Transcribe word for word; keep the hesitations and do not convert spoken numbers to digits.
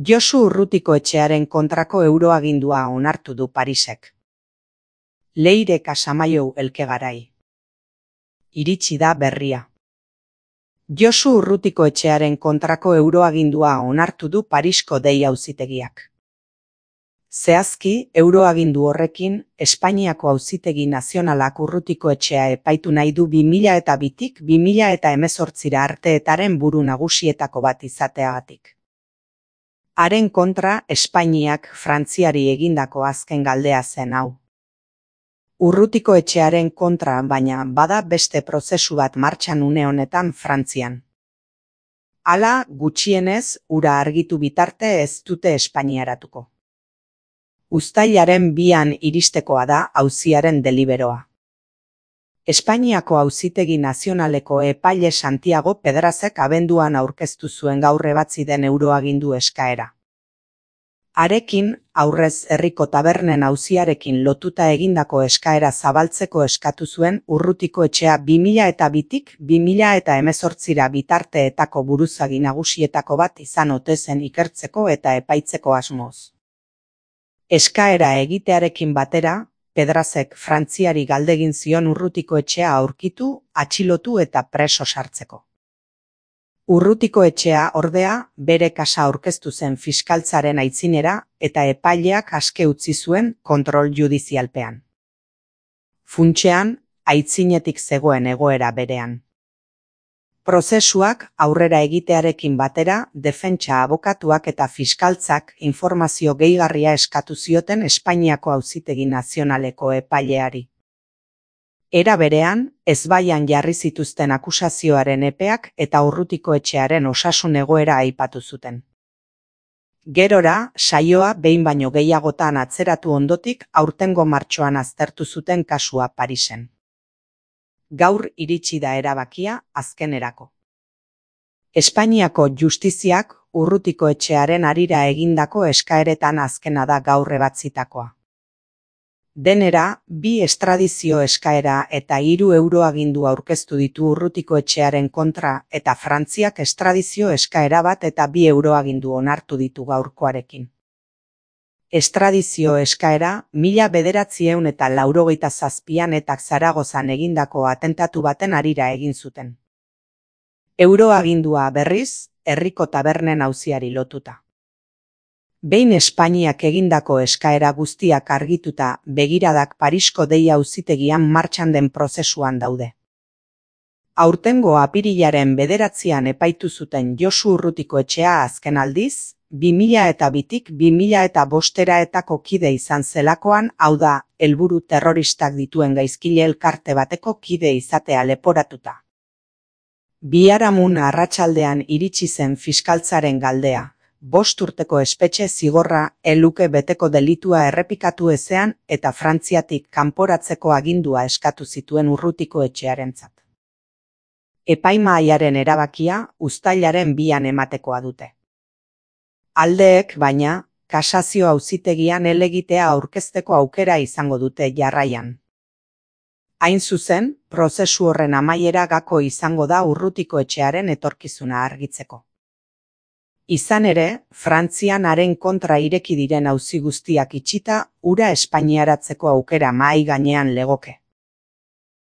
Josu Urrutikoetxearen kontrako euroagindua onartu du Parisek. Leire Casamaiu Elkegarai. Iritsi da berria. Josu Urrutikoetxearen kontrako euroagindua onartu du Parisko dei auzitegiak. Zehazki, euroagindu horrekin, Espainiako Auzitegi Nazionalak Urrutikoetxea epaitu nahi du bi mila eta bitik bi mila eta hemezortzira arteetaren buru nagusietako bat izateagatik. Haren kontra Espainiak Frantziari egindako azken galdea zen hau. Urrutikoetxearen kontra baina bada beste prozesu bat martxan une honetan Frantzian. Hala, gutxienez, ura argitu bitarte ez dute Espainiaratuko. Uztailaren bian iristekoa da auziaren deliberoa. Espainiako Auzitegi Nazionaleko epaile Santiago Pedrazek abenduan aurkeztu zuen gaur ebatzi den euroagindu eskaera. Harekin, aurrez herriko tabernen auziarekin lotuta egindako eskaera zabaltzeko eskatu zuen Urrutikoetxea bi mila eta bitik bi mila eta hemezortzira bitarteetako buruzagi nagusietako bat izan ote zen ikertzeko eta epaitzeko asmoz. Eskaera egitearekin batera, Pedrazek Frantziari galdegin zion Urrutikoetxea aurkitu, atxilotu eta preso sartzeko. Urrutikoetxea ordea bere kasa aurkeztu zen fiskaltzaren aitzinera eta epaileak aske utzi zuen kontrol judizialpean. Funtsean, aitzinetik zegoen egoera berean. Prozesuak aurrera egitearekin batera, defentsa abokatuak eta fiskaltzak informazio gehigarria eskatu zioten Espainiako Auzitegi Nazionaleko epaileari. Era berean, ezbaian jarri zituzten akusazioaren epeak eta Urrutikoetxearen osasun egoera aipatu zuten. Gerora, saioa behin baino gehiagotan atzeratu ondotik aurtengo martxoan aztertu zuten kasua Parisen. Gaur iritsi da erabakia azkenerako. Espainiako justiziak Urrutikoetxearen harira egindako eskaeretan azkena da gaur ebatzitakoa. Denera, bi estradizio eskaera eta hiru euroagindu aurkeztu ditu Urrutikoetxearen kontra eta Frantziak estradizio eskaera bat eta bi euroagindu onartu ditu gaurkoarekin. Estradizio eskaera mila bederatziehun eta laurogeita zazpian eta Zaragozan egindako atentatu baten harira egin zuten. Euroagindua berriz, herriko tabernen auziari lotuta. Behin Espainiak egindako eskaera guztiak argituta begiradak Parisko dei auzitegian martxan den prozesuan daude. Aurtengo apirilaren bederatzian epaitu zuten Josu Urrutikoetxea azken aldiz, bi mila eta bitik bi mila eta bosteraetako kide izan zelakoan, hau da, helburu terroristak dituen gaizkile elkarte bateko kide izatea leporatuta. Biharamun arratsaldean iritsi zen fiskaltzaren galdea, bost urteko espetxe zigorra eluke beteko delitua errepikatu ezean eta Frantziatik kanporatzeko agindua eskatu zituen Urrutikoetxearentzat. Epaimahaiaren erabakia uztailaren bian ematekoa dute. Aldeek, baina, kasazio auzitegian helegitea aurkezteko aukera izango dute jarraian. Hain zuzen, prozesu horren amaiera gako izango da Urrutikoetxearen etorkizuna argitzeko. Izan ere, Frantzian haren kontra ireki diren auzi guztiak itxita, ura espainiaratzeko aukera mahai gainean legoke.